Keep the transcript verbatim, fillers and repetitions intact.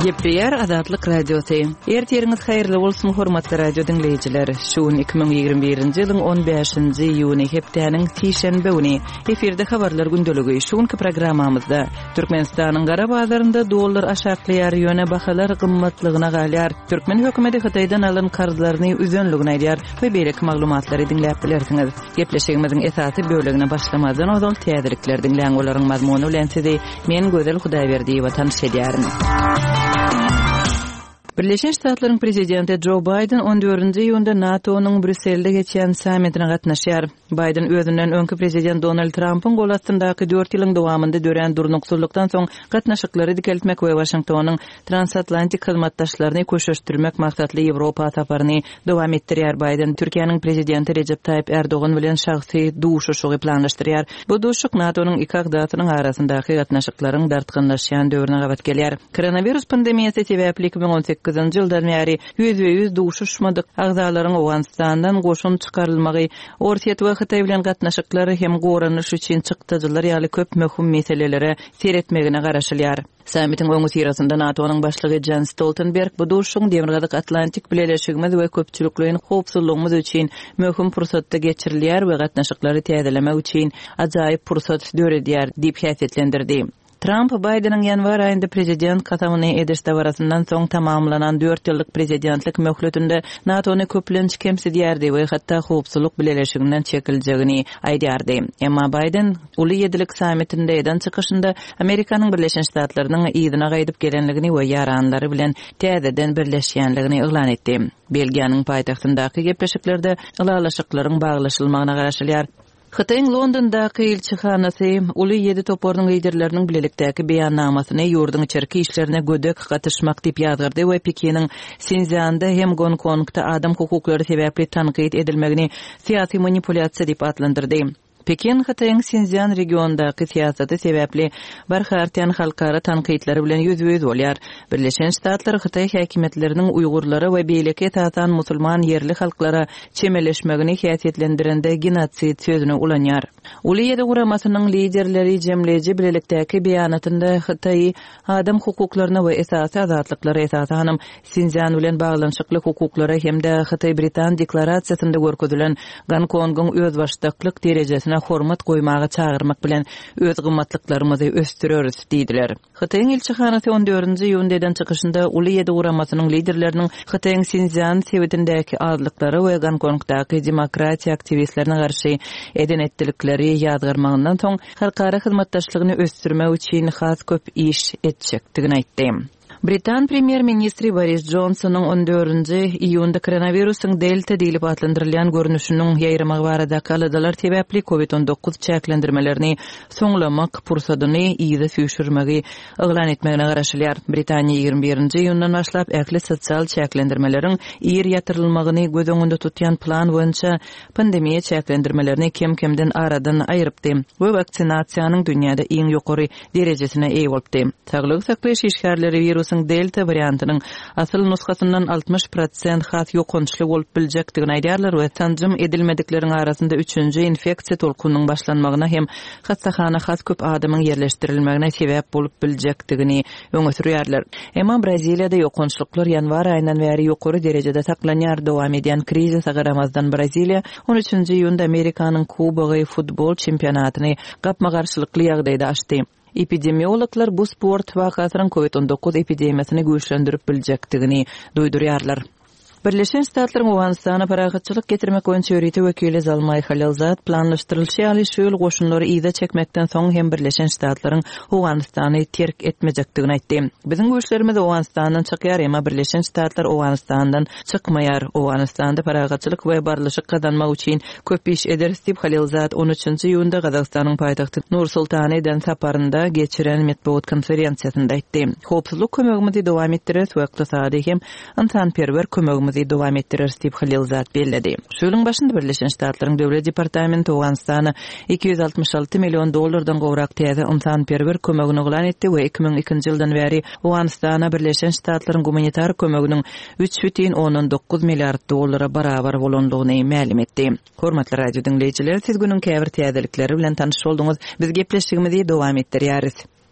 Gepleýär Azatlyk Radiosy. Ertiriňiz haýyrly bolsun hormatly radio diňleýjiler. Şu gün iki müň ýigrimi birinji ýylyň on bäşinji iýuny hepdäniň sişenbe güni. Efirde habarlar gündeligi. Şu günki programmamyzda Türkmenistanyň gara bazarynda dollar aşaklaýar, ýöne bahalar gymmatlygyna galýar. Türkmen hökümeti Hytaýdan alan karzlaryny üzenligini aýdýar we beýleki maglumatlary diňläp bilersiňiz. Gepleşigimiziň esasy bölegine başlamazdan ozal täzelikler diňläň, olaryň mazmuny bilen sizi men Gözel Hudaýberdiýewa tanyş edýärin. Birleşen Ştatlaryň prezidenti Joe Biden on dördünji iýunda NATO-nyň Brüsselde geçen sammitine gatnaşýar. Biden özünden öňki prezident Donald Trumpyň gol astyndaky dört ýylyň dowamynda dörän durnuksyzlykdan soň gatnaşyklary dikeltmek we Washingtonyň transatlantik hyzmatdaşlaryny köşeşdirmek maksatly Ýewropa saparyny dowam etdirýär. Biden Türkiýäniň prezidenti Recep Tayyip Erdogan bilen şahsy duşuşygy planlaşdyrýar. Bu duşuşyk NATO-nyň iki agzasynyň arasyndaky gatnaşyklaryň dartgynlaşýan döwrüne gabat gelýär. Koronawirus pandemiýasy sebäpli iki müň on sekizinji ýyldan bäri ýüzbe-ýüz duşuşmadyk agzalaryň Owganystandan goşun çykarylmagy, Orsýet we Hytaý bilen gatnaşyklary hem goranyş üçin çykdajylar ýaly köp möhüm meselelere seretmegine garaşylýar. Sammitiň öňi syrasynda NATO-nyň başlygy Jens Stoltenberg bu duşuşygyň Demirgazyk Atlantik bileleşigimiz we köpçülikleýin howpsuzlygymyz üçin möhüm pursatda geçirilýär we gatnaşyklary täzelemek üçin ajaýyp pursat döredýär diýip häsiýetlendirdi. Trump Biden'ın ýanwar aýynda prezident kasamyny ediş dabarasyndan soň tamamlanan dört ýyllyk prezidentlik möhletinde NATO-ny köplenç kemsidýärdi we hatda howpsuzlyk bileleşiginden çekiljegini aýdýardy. Emma Biden uly ýedilik sammitinde eden çykyşynda Amerikanyň Birleşen Ştatlarynyň yzyna gaýdyp gelenligini we ýaranlary bilen täzeden birleşýänligini yglan etdi. Belgiýanyň paýtagtyndaky gepleşiklerde ylalaşyklaryň baglaşylmagyna garaşylýar. Hytaýyň Londondaky ilçihanasy uly ýedi toparynyň liderleriniň bilelikdäki beýannamasyny ýurduň içerki işlerine gödek gatyşmak diýip ýazgardy we Pekiniň Sinzianda hem Gonkongda adam hukuklary sebäpli tankyt edilmegini syýasy manipulýasiýa diýip atlandyrdy. Pekin Hytaýyň Sinzian regiondaky syýasaty sebäpli barha artýan halkara tankytlary bilen ýüzbe-ýüz bolýar. Birleşen Ştatlar Hytaý häkimiýetleriniň Uýgurlara we beýleki esasan musulman ýerli halklara çemeleşmegini häsiýetlendirende genosid sözüni ulanýar. Uly ýedi guramasynyň liderleri jemleýji bilelikdäki beýanatynda Hytaýy adam hukuklaryna we esasy azatlyklara esasanam Sinzian bilen baglanyşykly hukuklara hem-de Hytaý-Britan deklarasiýasynda görkezilen Gonkongyň özbaşdaklyk derejesine hormat goýmaga çagyrmak bilen öz gymmatlyklarymyzy ösdüreris diýdiler. Hytaýyň ilçihanasy on dördünji iýunda eden çykyşynda uly ýedi guramasynyň liderleriniň Hytaýyň Sinzian sebitindäki azlyklara we Gonkongdaky demokratiýa aktiwistlerine garşy eden etdilikleri ýazgarmagyndan soň halkara hyzmatdaşlygyny ösdürmek üçin has köp iş etjekdigini aýtdy. Britan premýer-ministri Boris Johnsonyň on dördünji iýunda koronawirusyň delta diýlip atlandyrylýan görnüşiniň ýaýramagy baradaky aladalar sebäpli COVID on dokuz çäklendirmelerini soňlamak pursadyny yza süýşürmegi yglan etmegine garaşylýar. Britaniýa ýigrimi birinji iýundan başlap ähli sosial çäklendirmeleriň ir ýatyrylmagyny göz öňünde tutýan plan boýunça pandemiýa çäklendirmelerini kem-kemden aradan aýrypdy we waksinasiýanyň dünýäde iň ýokary derejesine eýe bolupdy. Saglyk saklaýyş işgärleri wirusyň delta wariantynyň asyl nusgasyndan altmyş prosent has ýokançly bolup biljekdigini aýdýarlar we sanjym edilmedikleriň arasynda üçünji infeksiýa tolkunyň başlanmagyna hem hassahana has köp adamyň ýerleşdirilmegine sebäp bolup biljekdigini öňe sürýärler. Emma Braziliýada ýokançlyklar ýanwar aýyndan bäri ýokary derejede saklanýar. Dowam edýän krizise garamazdan Braziliýa on üçünji iýunda Amerikanyň Kubogy futbol çempionatyny gapma-garşylykly ýagdaýda açdy. Epidemiologlar bu sport wakasynyň COVID on dokuz epidemiýasyny güýçlendirip biljekdigini duýdurýarlar. Birleşen Ştatlaryň Owganystana parahatçylyk getirmek boýunça ýörite wekili Zalmay Halilzad planlaşdyrylyşy ýaly şu ýyl goşunlary yza çekmekden soň hem Birleşen Ştatlaryň Owganystany terk etmejekdigini aýtdy. Biziň güýçlerimiz Owganystandan çykýar, emma Birleşen Ştatlar Owganystandan çykmaýar. Owganystanda parahatçylyk we barlyşyk gazanmak üçin köp iş ederis diýip Halilzad on üçünji iýunda Gazagystanyň paýtagty Nur-Sultana eden saparynda geçiren metbugat konferensiýasynda aýtdy. Howpsuzlyk kömegimizi dowam etdireris we ykdysady hem ynsanperwer kömegimizi dowam etdireris diýip Halilzad belledi. Şu ýylyň başynda Birleşen Ştatlaryň Döwlet Departamenti Owganystana iki ýüz altmyş alty million dollardan gowrak täze ynsanperwer kömegini yglan etdi we iki müň ikinji ýyldan bäri Owganystana Birleşen Ştatlaryň gumanitar kömeginiň üç bütin ondan dokuz milliard dollara barabar bolandygyny mälim etdi. Hormatly radio diňleýjiler, siz günüň käbir täzelikleri bilen tanyş bolduňyz. Biz gepleşigimizi dowam etdirýäris.